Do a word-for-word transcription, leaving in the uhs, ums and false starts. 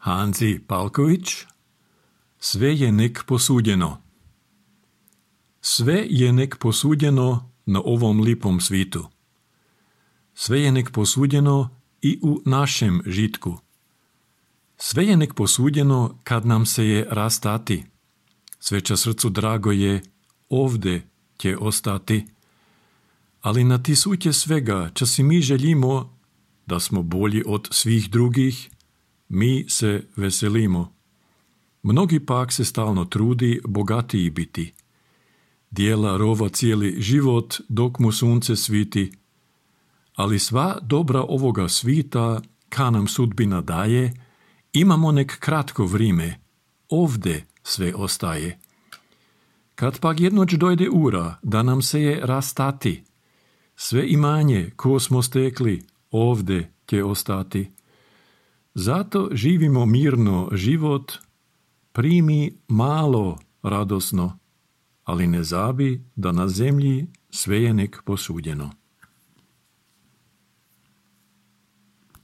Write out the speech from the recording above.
Hanzi Palković. Sve je nek posudjeno. Sve je nek posudjeno na ovom lipom svitu. Sve je nek posudjeno i u našem žitku. Sve je nek posudjeno kad nam se je rastati. Sve ča srcu drago je ovde će ostati. Ali na tisutje svega ča si mi želimo, da smo bolji od svih drugih, mi se veselimo. Mnogi pak se stalno trudi bogatiji biti. Dijela rova cijeli život dok mu sunce sviti. Ali sva dobra ovoga svita, ka nam sudbina daje, imamo nek kratko vrime, ovde sve ostaje. Kad pak jednoć dojde ura, da nam se je rastati, sve imanje ko smo stekli, ovde će ostati. Zato živimo mirno život, primi malo radosno, ali ne zabi da na zemlji sve je nek posudjeno.